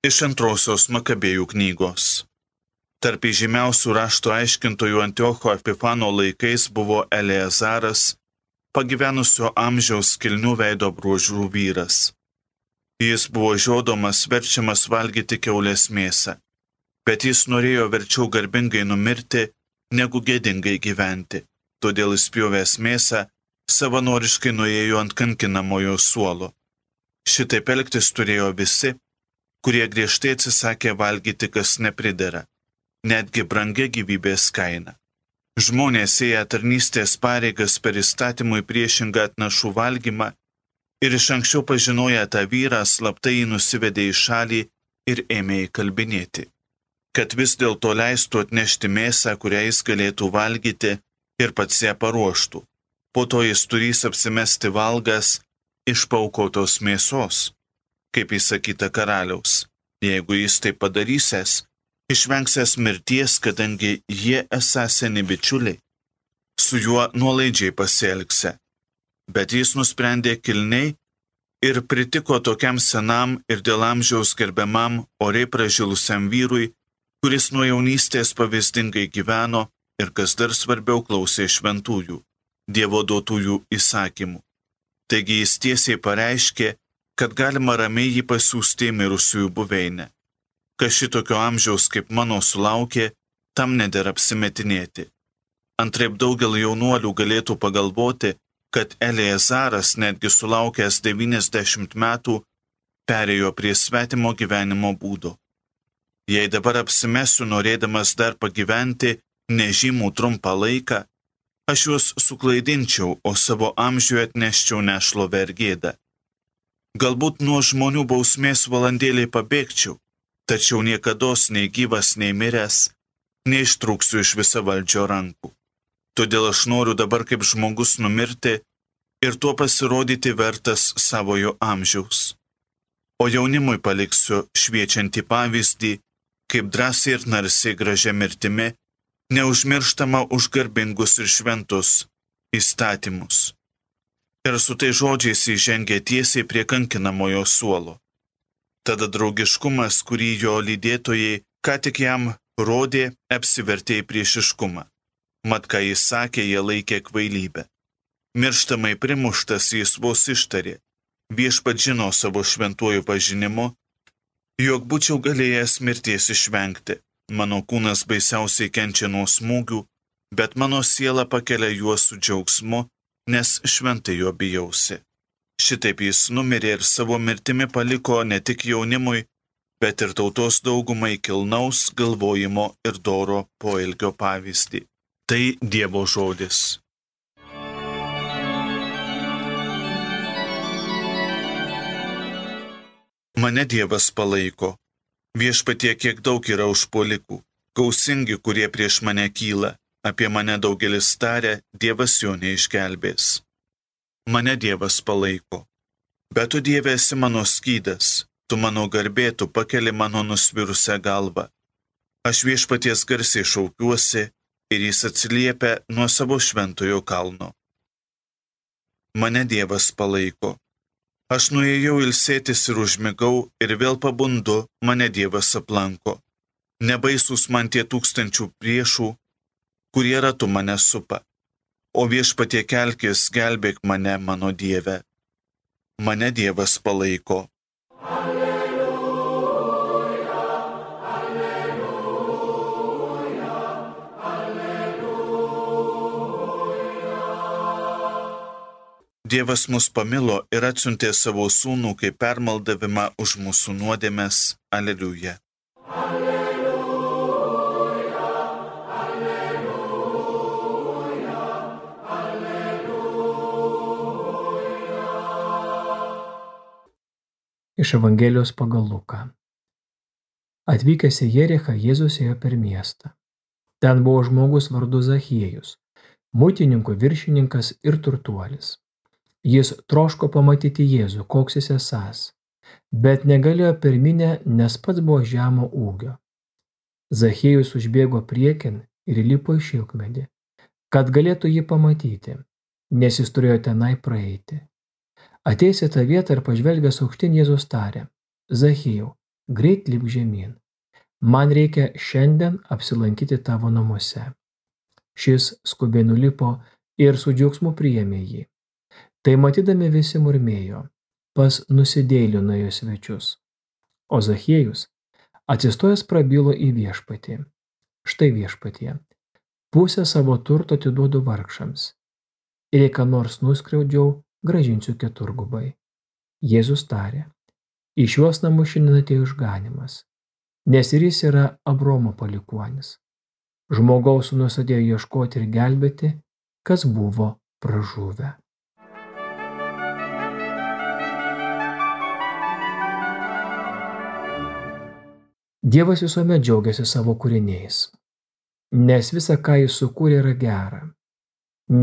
Iš antrosios Makabėjų knygos. Tarp įžymiausių rašto aiškintojų Antiocho Epifano laikais buvo Eleazaras, pagyvenusio amžiaus kilnių veido bruožų vyras. Jis buvo žiodomas, verčiamas valgyti kiaulės mėsą, bet jis norėjo verčiau garbingai numirti, negu gėdingai gyventi. Todėl įspjovęs mėsą, savanoriškai nuėjo ant kankinamojo suolo. Šitaip elgtis turėjo visi, kurie griežtai atsisakė valgyti, kas nepridera, netgi brangia gyvybės kaina. Žmonės ėję tarnystės pareigas per įstatymui priešingą atnašų valgymą ir iš anksčiau pažinoję tą vyrą, slaptai jį nusivedė į šalį ir ėmė įkalbinėti, kad vis dėlto leistų atnešti mėsą, kurią jis galėtų valgyti ir pats ją paruoštų. Po to jis turės apsimesti valgas iš paaukotos mėsos, kaip įsakyta karaliaus. Jeigu jis tai padarysęs, išvengsęs mirties, kadangi jie esą seni bičiuliai, su juo nuolaidžiai pasielgse. Bet jis nusprendė kilniai ir pritiko tokiam senam ir dėl amžiaus gerbiamam oriai pražilusiam vyrui, kuris nuo jaunystės pavyzdingai gyveno ir, kas dar svarbiau, klausė šventųjų, Dievo duotųjų įsakymų. Taigi jis tiesiai pareiškė, kad galima ramiai jį pasiųsti į mirusiųjų buveinę. Kas šitokio amžiaus kaip mano sulaukė, tam nedera apsimetinėti. Antraip daugelį jaunuolių galėtų pagalvoti, kad Eleazaras, netgi sulaukęs 90 metų, perėjo prie svetimo gyvenimo būdo. Jei dabar apsimesiu, norėdamas dar pagyventi nežymų trumpą laiką, aš juos suklaidinčiau, o savo amžiuje atneščiau nešlovę ir gėdą. Galbūt nuo žmonių bausmės valandėliai pabėgčiau, tačiau niekados nei gyvas, nei miręs neištrūksiu iš visavaldžio rankų. Todėl aš noriu dabar kaip žmogus numirti ir tuo pasirodyti vertas savojo amžiaus. O jaunimui paliksiu šviečiantį pavyzdį, kaip drąsiai ir narsiai gražia mirtimi, neužmirštama už garbingus ir šventus įstatymus. Ir su tai žodžiais įžengė tiesiai prie kankinamojo suolo. Tada draugiškumas, kurį jo lydėtojai ką tik jam rodė, apsivertė į priešiškumą. Mat, ką jis sakė, jie laikė kvailybę. Mirštamai primuštas jis vos ištarė, viešpats žino savo šventuoju pažinimu, jog būčiau galėjęs mirties išvengti. Mano kūnas baisiausiai kenčia nuo smūgių, bet mano siela pakelia juos su džiaugsmu, nes šventai jo bijausi. Šitaip jis numirė ir savo mirtimi paliko ne tik jaunimui, bet ir tautos daugumai kilnaus galvojimo ir doro poelgio pavyzdį. Tai Dievo žodis. Mane Dievas palaiko. Viešpatie, kiek daug yra užpuolikų, gausingi, kurie prieš mane kyla, apie mane daugelis taria, Dievas jo neišgelbės. Mane Dievas palaiko. Bet tu, Dieve, esi mano skydas, tu mano garbė, tu pakeli mano nusvirusią galvą. Aš viešpaties garsiai šaukiuosi ir jis atsiliepia nuo savo šventojo kalno. Mane Dievas palaiko. Aš nuėjau ilsėtis ir užmigau ir vėl pabundu, mane Dievas aplanko. Nebaisus man tie tūkstančių priešų, kurie ratu mane supa. O viešpatie kelkis, gelbėk mane, mano Dieve. Mane Dievas palaiko. Dievas mus pamilo ir atsiuntė savo sūnų kaip permaldavimą už mūsų nuodėmes. Aleliuja. Alleluja, alleluja, alleluja. Iš Evangelijos pagal Luką. Atvykęs į Jerichą, Jėzus ėjo per miestą. Ten buvo žmogus vardu Zachiejus, muitininkų viršininkas ir turtuolis. Jis troško pamatyti Jėzų, koks jis esąs, bet negalėjo per minią, nes pats buvo žemo ūgio. Zachiejus užbėgo priekin ir įlipo į šilkmedį, kad galėtų jį pamatyti, nes jis turėjo tenai praeiti. Ateis į tą vietą ir pažvelgęs aukštyn, Jėzus tarė: Zachiejau, greit lipk žemyn. Man reikia šiandien apsilankyti tavo namuose. Šis skubiai nulipo ir su džiaugsmu priėmė jį. Tai matydami visi murmėjo, pas nusidėjėlį nuėjo svečius. O Zachiejus atsistojęs prabilo į viešpatį. Štai viešpatie, pusę savo turto atiduodu vargšams. Ir jei ką nors nuskriaudžiau, grąžinsiu keturgubai. Jėzus tarė, į šiuos namus šiandien atėjo išganymas, nes ir jis yra Abraomo palikuonis. Žmogaus sūnus atėjo ieškoti ir gelbėti, kas buvo pražuvę. Dievas visuomet džiaugiasi savo kūriniais, nes visa, ką jis sukūrė, yra gera,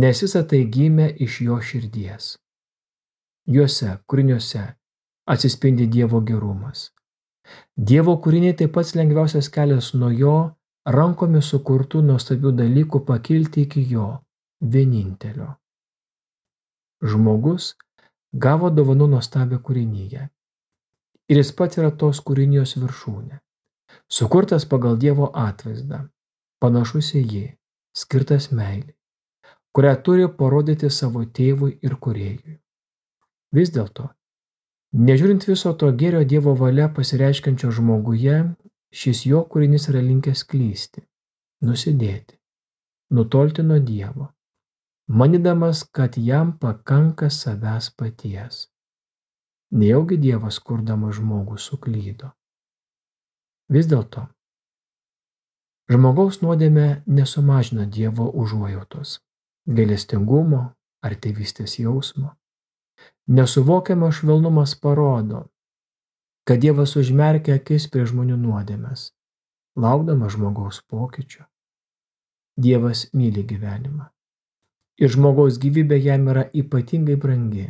nes visa tai gimė iš jo širdies. Juose, kūriniuose, atsispindi Dievo gerumas. Dievo kūriniai tai pats lengviausias kelias nuo jo rankomis sukurtų nuostabių dalykų pakilti iki jo vienintelio. Žmogus gavo dovanų nuostabią kūrinyje ir jis pats yra tos kūrinijos viršūnė. Sukurtas pagal Dievo atvaizdą, panašus į jį, skirtas meilei, kurią turi parodyti savo tėvui ir kūrėjui. Vis dėlto, nežiūrint viso to gėrio Dievo valia pasireiškiančio žmoguje, šis jo kūrinys yra linkęs klysti, nusidėti, nutolti nuo Dievo, manydamas, kad jam pakanka savęs paties. Nejaugi Dievas kurdamas žmogų suklydo. Vis dėlto, žmogaus nuodėmė nesumažina Dievo užuojautos, gailestingumo ar tėvystės jausmo. Nesuvokiamas švelnumas parodo, kad Dievas užmerkia akis prie žmonių nuodėmes, laukdamas žmogaus pokyčio. Dievas myli gyvenimą ir žmogaus gyvybė jam yra ypatingai brangi.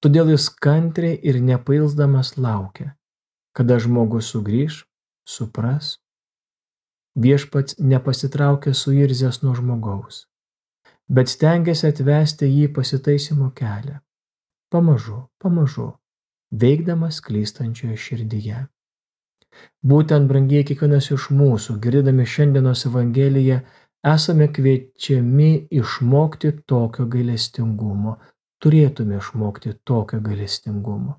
Todėl jis kantriai ir nepailsdamas laukia, kada žmogus sugrįš, supras. Viešpats nepasitraukia suirzęs nuo žmogaus, bet stengiasi atvesti jį pasitaisymo kelią, pamažu, veikdamas klystančioje širdyje. Būtent, brangiai, kiekvienas iš mūsų, girdėdami šiandienos Evangeliją, esame kviečiami išmokti tokio gailestingumo, turėtume išmokti tokio gailestingumo.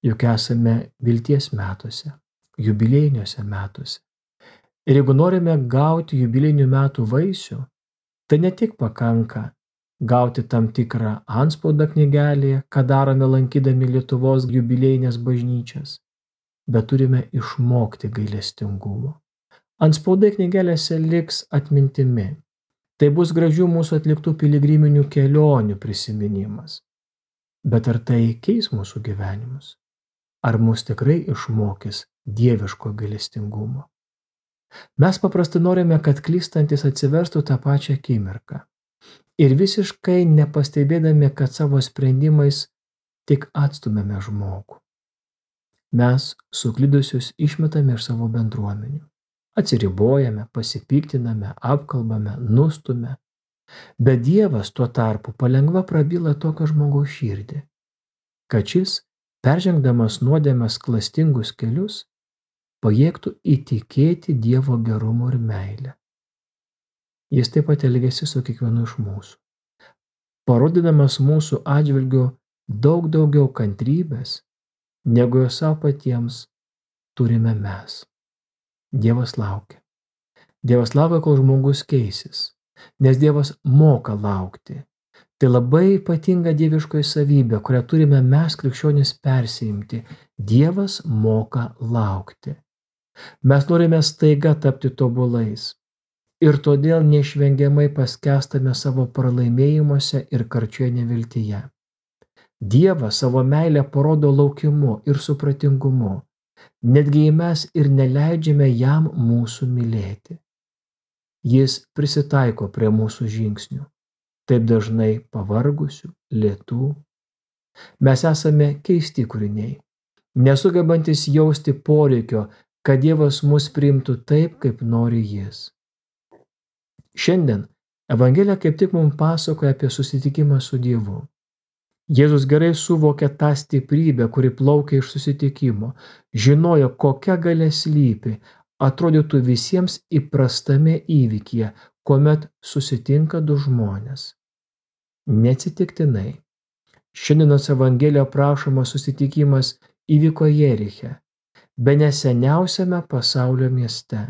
Juk esame vilties metuose, jubiliejiniuose metuose. Ir jeigu norime gauti jubiliejinių metų vaisių, tai ne tik pakanka gauti tam tikrą antspaudą knygelėje, ką darome lankydami Lietuvos jubiliejinės bažnyčias, bet turime išmokti gailestingumo. Antspaudai knygelėse liks atmintimi. Tai bus gražių mūsų atliktų piligriminių kelionių prisiminimas. Bet ar tai keis mūsų gyvenimus? Ar mus tikrai išmokys dieviško gailestingumo? Mes paprastai norime, kad klystantis atsiverstų tą pačią akimirką. Ir visiškai nepastebėdami, kad savo sprendimais tik atstumėme žmogų. Mes suklydusius išmetame iš savo bendruomenių. Atsiribojame, pasipiktiname, apkalbame, nustume. Bet Dievas tuo tarpu palengva prabyla tokio žmogaus širdį, kad šis, peržengdamas nuodėmės klastingus kelius, pajėgtų įtikėti Dievo gerumu ir meilę. Jis taip pat elgiasi su kiekvienu iš mūsų, parodydamas mūsų atžvilgiu daug daugiau kantrybės, negu jo savo patiems turime mes. Dievas laukia. Dievas laukia, kol žmogus keisis, nes Dievas moka laukti. Tai labai ypatinga dieviškoji savybė, kurią turime mes krikščionys persiimti. Dievas moka laukti. Mes norime staiga tapti tobulais ir todėl neišvengiamai paskęstame savo pralaimėjimuose ir karčioje neviltyje. Dievas savo meilę parodo laukimu ir supratingumu, netgi jei mes ir neleidžiame jam mūsų mylėti. Jis prisitaiko prie mūsų žingsnių, taip dažnai pavargusių, lėtų. Mes esame keisti kūriniai, nesugebantis jausti poreikio, kad Dievas mus priimtų taip, kaip nori jis. Šiandien Evangelija kaip tik mums pasakoja apie susitikimą su Dievu. Jėzus gerai suvokė tą stiprybę, kuri plaukia iš susitikimo, žinojo, kokia galia slypi, atrodytų visiems įprastame įvykyje, kuomet susitinka du žmonės. Neatsitiktinai. Šiandienos Evangelijoje aprašomas susitikimas įvyko Jeriche, bene seniausiame pasaulio mieste.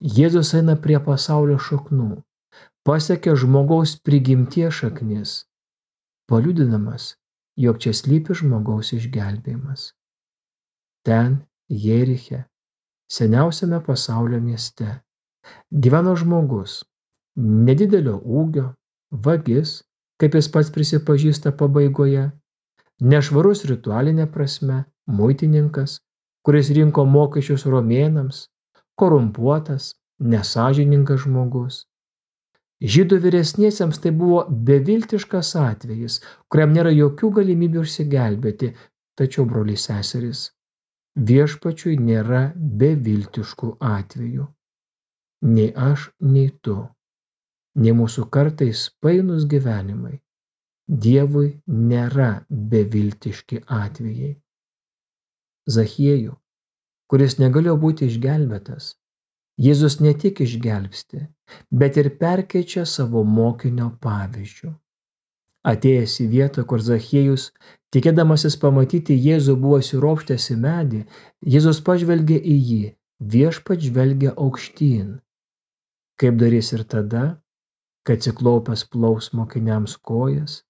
Jėzus eina prie pasaulio šaknų, pasiekia žmogaus prigimties šaknis, paliudinamas, jog čia slypi žmogaus išgelbėjimas. Ten, Jeriche, seniausiame pasaulio mieste, gyveno žmogus, nedidelio ūgio, vagis, kaip jis pats prisipažįsta pabaigoje, nešvarus ritualinė prasme, muitininkas, kuris rinko mokesčius romėnams, korumpuotas, nesąžiningas žmogus. Žydų vyresniesiems tai buvo beviltiškas atvejis, kuriam nėra jokių galimybių išsigelbėti, tačiau, broliai seserys, viešpačiui nėra beviltiškų atvejų. Nei aš, nei tu, nei mūsų kartais painūs gyvenimai, Dievui nėra beviltiški atvejai. Zachiejų, kuris negalėjo būti išgelbėtas, Jėzus ne tik išgelbsti, bet ir perkeičia savo mokinio pavyzdžiu. Atėjęs į vietą, kur Zachiejus, tikėdamasis pamatyti Jėzų, buvo įsiropštęs į medį, Jėzus pažvelgė į jį, viešpats žvelgia aukštyn. Kaip darys ir tada, kad atsiklaupęs plaus mokiniams kojas,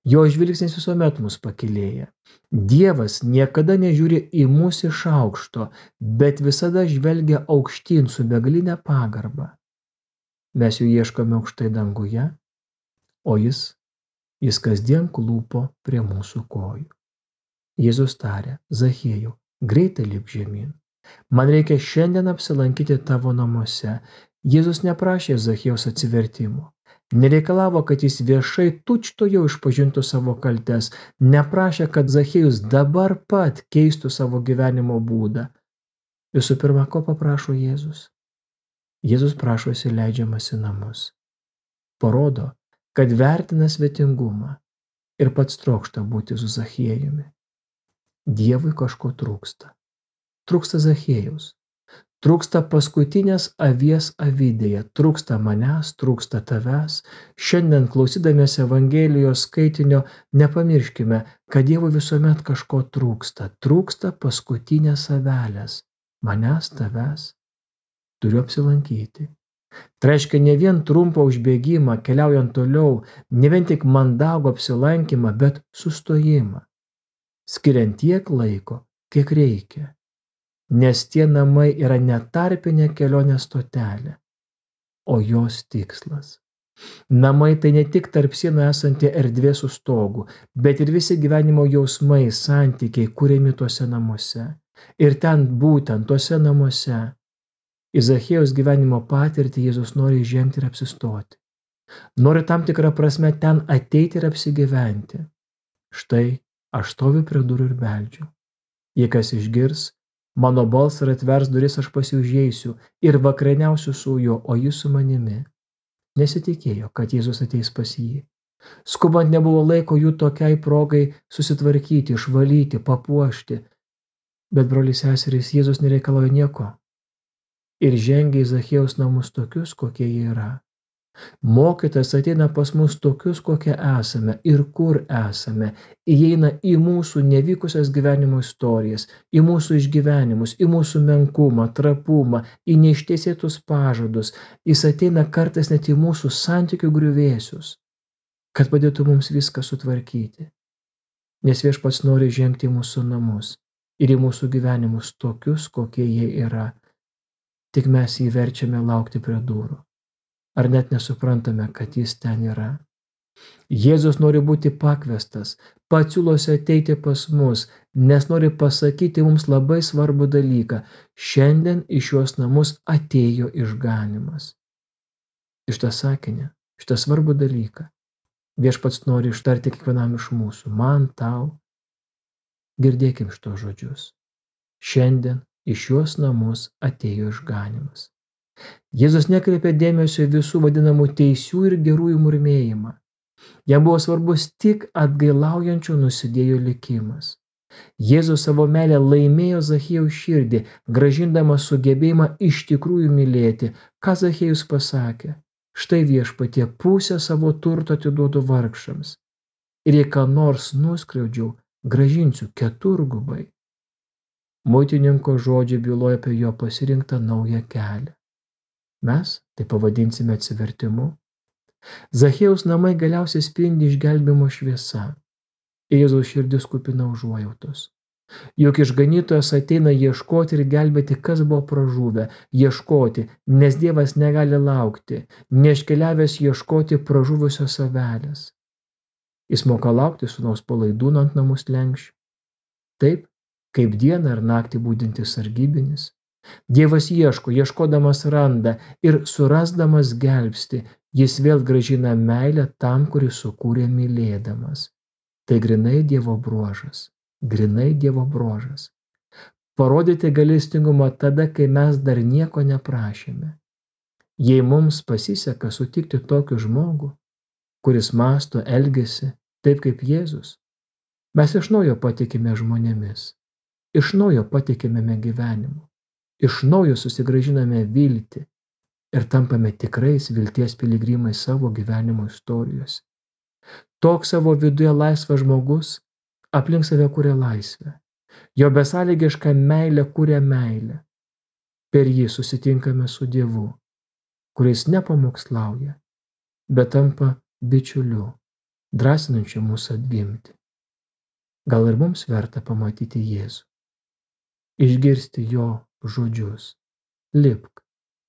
jo žvilgsnis visuomet mus pakylėja. Dievas niekada nežiūri į mus iš aukšto, bet visada žvelgia aukštyn su begaline pagarba. Mes jų ieškome aukštai danguje, o jis kasdien klūpo prie mūsų kojų. Jėzus tarė: Zachiejau, greitai lipk žemyn. Man reikia šiandien apsilankyti tavo namuose. Jėzus neprašė Zachiejaus atsivertimo. Nereikalavo, kad jis viešai tučtuojau išpažintų savo kaltes, neprašė, kad Zachiejus dabar pat keistų savo gyvenimo būdą. Visų pirma, ko paprašo Jėzus? Jėzus prašo įsileidžiamas į namus. Parodo, kad vertina svetingumą ir pats trokšta būti su Zachiejumi. Dievui kažko trūksta. Trūksta Zachiejaus. Trūksta paskutinės avies avidėje, trūksta manęs, trūksta tavęs. Šiandien klausydamiesi Evangelijos skaitinio nepamirškime, kad Dievui visuomet kažko trūksta. Trūksta paskutinės avelės. Manęs, tavęs. Turiu apsilankyti. Tai reiškia ne vien trumpą užbėgimą, keliaujant toliau, ne vien tik mandagų apsilankymą, bet sustojimą. Skiriant tiek laiko, kiek reikia. Nes tie namai yra ne tarpinė kelionės stotelė, o jos tikslas. Namai tai ne tik tarp sienų esanti erdvė su stogu, bet ir visi gyvenimo jausmai, santykiai kuriami tuose namuose. Ir ten būtent tuose namuose į Zachiejaus gyvenimo patirtį Jėzus nori žengti ir apsistoti. Nori tam tikrą prasme ten ateiti ir apsigyventi. Štai aš stoviu prie durų ir beldžiu. Jei kas išgirs mano balsą ir atvers duris, aš pas jį užeisiu ir vakarieniausiu su juo, o jis su manimi. Nesitikėjo, kad Jėzus ateis pas jį. Skubant nebuvo laiko jų tokiai progai susitvarkyti, išvalyti, papuošti. Bet, broliai seserys, Jėzus nereikalauja nieko. Ir žengia į Zachiejaus namus tokius, kokie jie yra. Mokytojas ateina pas mus tokius, kokie esame ir kur esame. Įeina į mūsų nevykusias gyvenimo istorijas, į mūsų išgyvenimus, į mūsų menkumą, trapumą, į neištesėtus pažadus. Jis ateina kartais net į mūsų santykių griuvėsius, kad padėtų mums viską sutvarkyti. Nes Viešpats nori žengti į mūsų namus ir į mūsų gyvenimus tokius, kokie jie yra. Tik mes jį verčiame laukti prie durų. Ar net nesuprantame, kad jis ten yra? Jėzus nori būti pakviestas, pats siūlosi ateiti pas mus, nes nori pasakyti mums labai svarbų dalyką. Šiandien į šiuos namus atėjo išganymas. Šitą sakinį, šitą svarbų dalyką Viešpats nori ištarti kiekvienam iš mūsų, man, tau. Girdėkim šitos žodžius. Šiandien į šiuos namus atėjo išganymas. Jėzus nekreipia dėmesio visų vadinamų teisių ir gerųjų murmėjimą. Jam buvo svarbus tik atgailaujančio nusidėjo likimas. Jėzus savo meilę laimėjo Zachiejaus širdį, grąžindamas sugebėjimą iš tikrųjų mylėti. Ką Zachiejus pasakė? Štai viešpatie, pusę savo turto atiduodu vargšams. Ir jei ką nors nuskriaudžiau, grąžinsiu keturgubai. Muitininko žodžiai byloja apie jo pasirinktą naują kelią. Mes tai pavadinsime atsivertimu. Zachiejaus namai galiausiai spindi išgelbėjimo šviesa. Jėzaus širdis kupina užuojautos. Juk išganytojas ateina ieškoti ir gelbėti, kas buvo pražuvę, ieškoti, nes Dievas negali laukti, neiškeliavęs ieškoti pražuvusios avelės. Jis moka laukti sūnaus palaidūno ant namų slenksčių. Taip, kaip dieną ir naktį budintis sargybinis. Dievas ieško, ieškodamas randa ir surasdamas gelbsti, jis vėl grąžina meilę tam, kuris sukūrė mylėdamas. Tai grinai Dievo bruožas. Grinai Dievo bruožas. Parodyti gailestingumą tada, kai mes dar nieko neprašėme. Jei mums pasiseka sutikti tokį žmogų, kuris mąsto, elgiasi taip kaip Jėzus, mes iš naujo patikime žmonėmis, iš naujo patikime gyvenimu, iš naujo susigrąžiname viltį ir tampame tikrais vilties piligrimais savo gyvenimo istorijose. Toks savo viduje laisvas žmogus aplink save kuria laisvę. Jo besąlygiška meilė kuria meilę. Per jį susitinkame su Dievu, kuris nepamokslauja, bet tampa bičiuliu, drąsinančiu mūsų atgimti. Gal ir mums verta pamatyti Jėzų, išgirsti jo žodžius. Lipk,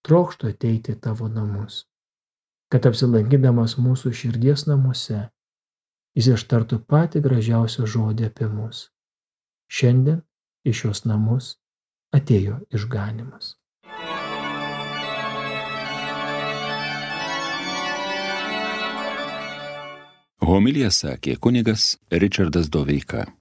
trokštu ateiti į tavo namus, kad apsilankydamas mūsų širdies namuose, jis ištartų patį gražiausią žodį apie mus. Šiandien į šios namus atėjo išganymas. Homiliją sakė kunigas Ričardas Doveika.